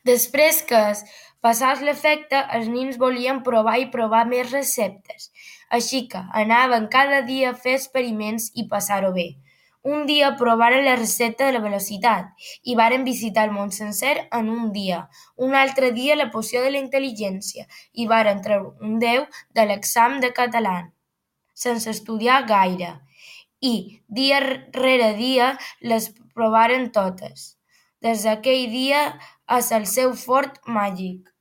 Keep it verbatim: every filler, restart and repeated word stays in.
Després que es passés l'efecte, els nens volien provar i provar més receptes, així que anaven cada dia a fer experiments i passar-ho bé. Un dia provaren la recepta de la velocitat i varen visitar el món sencer en un dia. Un altre dia la poció de la intel·ligència i varen treure un deu de l'examen de català, sense estudiar gaire. I, dia rere dia, les provaren totes. Des d'aquell dia és el seu fort màgic.